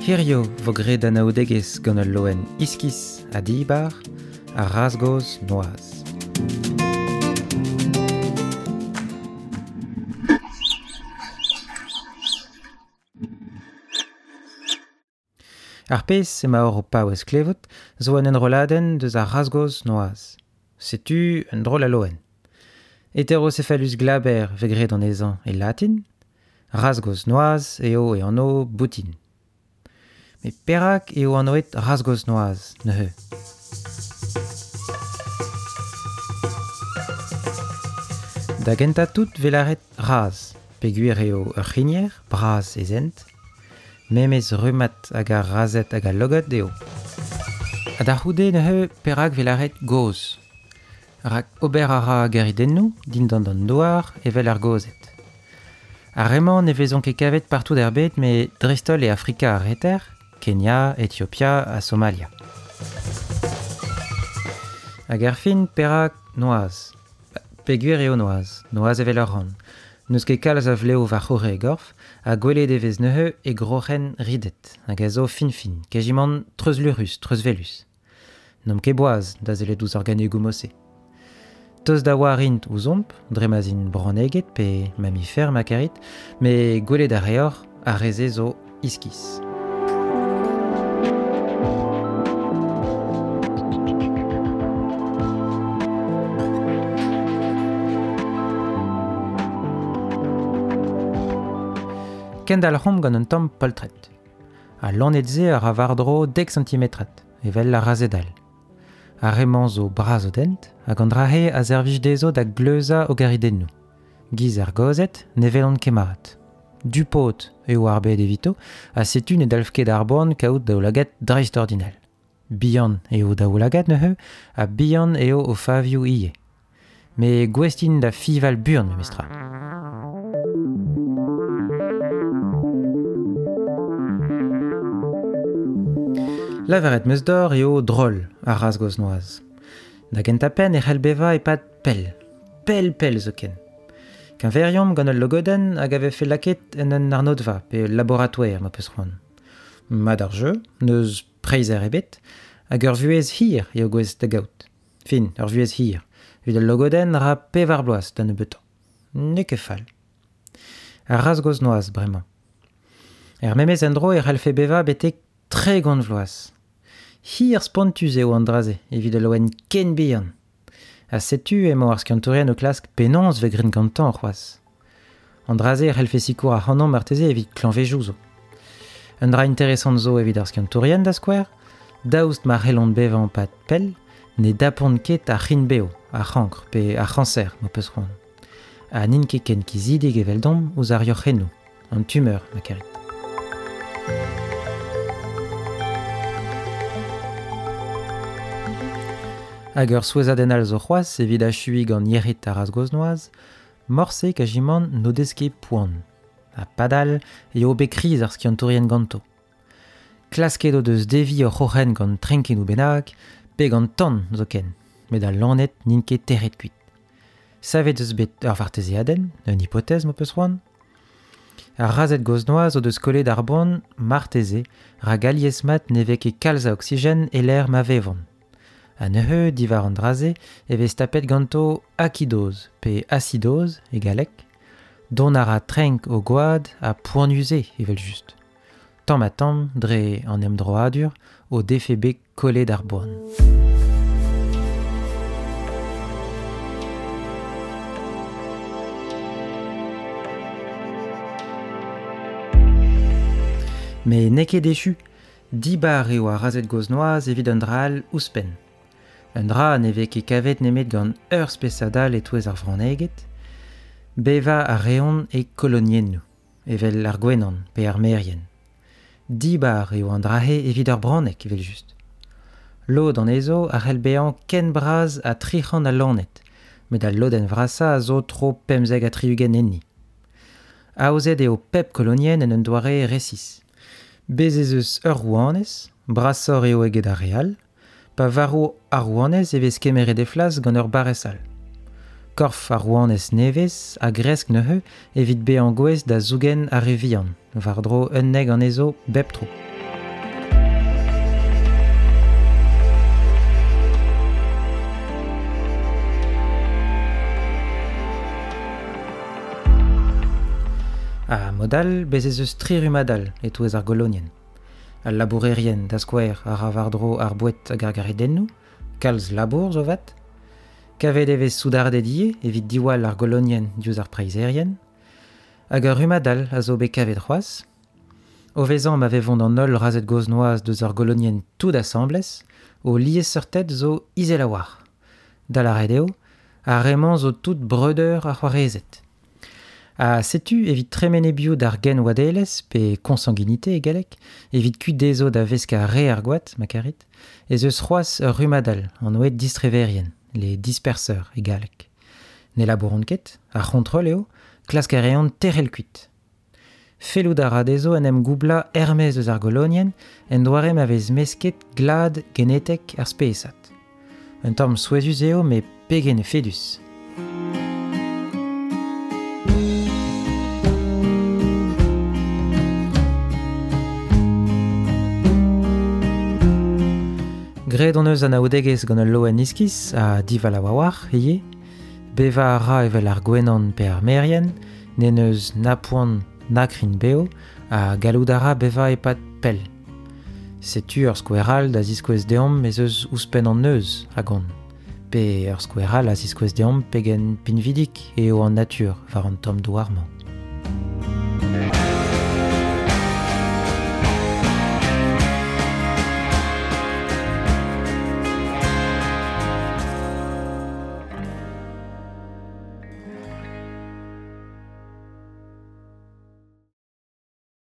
Hirio vo graet anaoudegezh gant ul loen iskis ha dibar, ar razh-gozh noazh. Ar pezh emaoc'h o paouez klevout zo un enrolladenn deus ar razh-gozh noazh. Setu un drol a loen. Heterocephalus glaber vez graet anezhañ e latin. Razh-gozh noazh eo e anv boutin. Met perak eo anvet razh-gozh noazh neuze? Da gentañ tout 'vez lâret razh peogwir eo ur c'hrigner bras e zent. Memes rummad hag ar razhed hag al logod eo. Ha da c'houde neuze perak 'vez lâret gozh? Rak ober a ra geridennoù dindan an douar evel ar gozed. Ar re-mañ ne vezont ket kavet partout er bed met dreist-holl e Afrika ar Reter, Kenya, Etiopia ha Somalia. Hag erfin perak noazh? Peogwir eo noazh, noazh evel ur ran. N'eus ket kalz a vlev war-c'horre e gorf ha gwelet e vez neuze e groc'hen ridet hag a zo fin-fin, kejimant treuzluc'hus, treuzvelus. N'omp ket boaz da sellet ouzh organegoù mod-se. Tost da oar int ouzhomp, dre ma'z int bronneged pe mamifer ma karit, met gwelet a reoc'h ar re-se zo iskis. Kendalc'homp gant un tamm poltred. Al loened-se a ra war-dro dek santimetrad. evel ar razhed all. Ar re-mañ zo bras o dent hag an dra-se a servij dezho da gleuzañ o garidennoù. Giz ar gozed ne welont ket mat. Du-paot eo ar bed evito ha setu ne dalv ket ar boan kaout daoulagad dreistordinal. Bihan eo daoulagad neuze ha bihan eo o favioù ivez. Met gouest int da fiñval buan memestra. Lavaret 'm eus deoc'h eo drol ar razh-gozh noazh. Da gentañ-penn e c'hell bevañ e-pad pell, pell-pell zoken. Keñveriomp gant ul logodenn hag a vefe lakaet en un arnodva pe ul laboratouer ma peus c'hoant. Mat ar jeu, n'eus preizher ebet, hag ur vuhez hir eo gouest da gaout. Fin, ur vuhez hir. Evit al logodenn ra pevar bloaz da nebeutañ. N'eo ket fall. Ar razh-gozh noazh bremañ. Er memes endro e c'hallfe bevañ betek 30 vloaz. Hir spontus eo an dra-se evit ul loen ken bihan. Ha setu emañ ar skiantourien o klask penaos 'vez graet gantañ c'hoazh. An dra-se e c'hallfe sikour ac'hanomp marteze evit klañvejoù zo. Un dra interesant zo evit ar skiantourien da skouer, daoust ma c'hellont bevañ 'pad pell, ne dapont ket ar c'hrign-bev, ar c'hankr pe ar c'hañser m'ho peus c'hoant. Ha n'int ket ken kizidik eveldomp ouzh ar yoc'hennoù, an tumeur ma karit. Hag ur souezhadenn all zo c'hoazh evit achuiñ gant yec'hed ar razh-gozh-noazh, morse kajimant n'o dez ket poan. Ha padal eo bet kriz ar skiantourien ganto. Klasket o deus deviñ o c'hroc'hen gant trenkennoù bennak, pe gant tan zoken, met al loened n'int ket tec'het kuit. Savet eus bet ur vartezeadenn, un hipotez m'ho peus c'hoant. Ar razhed gozh-noazh o deus kollet ar boan marteze rak alies-mat ne vez ket kalz a oksigen e-lec'h ma vevont. Ha neuze, diwar an dra-se, e vez tapet ganto akidoz pe asidoz e galleg. Dont a ra trenk o gwad ha poanius eo evel-just. Tamm-ha-tamm, dre an emdroadur, o defe bet kollet ar boan. Met n'eo ket echu. Dibar eo ar razhed gozh-noazh evit un dra all ouzhpenn. Un dra ne vez ket kavet nemet gant ur spesad all e-touez ar vronneged. Bevañ a reont e koloniennoù. evel ar gwenan pe ar merien. Dibar eo an dra-se evit ur bronneg evel-just. Lod anezho a c'hell bezañ ken bras ha 300 a loened, met al lodenn vrasañ a zo tro 75 enni. Aozet eo pep kolonienn en un doare resis. Bez' ez eus ur rouanez, brasoc'h eo eget ar re all, Pa varv ar rouanez e vez kemeret he flas gant ur barrez all. Korf ar rouanez nevez a gresk neuze evit bezañ gouest da zougen ar re vihan, war-dro 11 anezho bep tro. Ha mod all, bez ez eus tri rummad all e-touez ar golonienn. Al labourerien, da skouer, a ra war-dro ar boued hag ar garidennoù, kalz labour zo 'vat. Kavet e vez soudarded ivez evit diwall ar golonienn diouzh ar preizherien. Hag ur rummad all a zo bet kavet c'hoazh. O vezañ ma vevont an holl razhed gozh-noazh deus ar golonienn tout asambles, o liesseurted zo izel a-walc'h. Da lâret eo, ar re-mañ zo tout breudeur ha c'hoarezed. Ha setu evit tremen e-biou d'ar genwadelezh, pe consanguinité e galleg, evit kuit dezho da veskañ re ar gwad, ma karit, ez eus c'hoazh ur rummad all, anvet distreverien, les disperseurs e galleg. Ne labouront ket, ar c'hontrol eo, klask a reont tec'hel kuit. Fellout a ra dezho en em goublañ er-maez eus ar golonienn en doare ma vez mesket glad genetek ar spesad. Un tamm souezhus eo met pegen efedus. Graet hon eus anaoudegezh gant ul loen iskis ha divalav a-walc'h ivez. Bevañ a ra evel ar gwenan pe ar merien, n'en deus na poan na krign-bev ha gallout a ra bevañ e-pad pell. Setu ur skouer all da ziskouez deomp ez eus ouzhpenn an neuz a gont, pe ur skouer all a ziskouez deomp pegen pinvidik eo an natur war an tamm douar-mañ.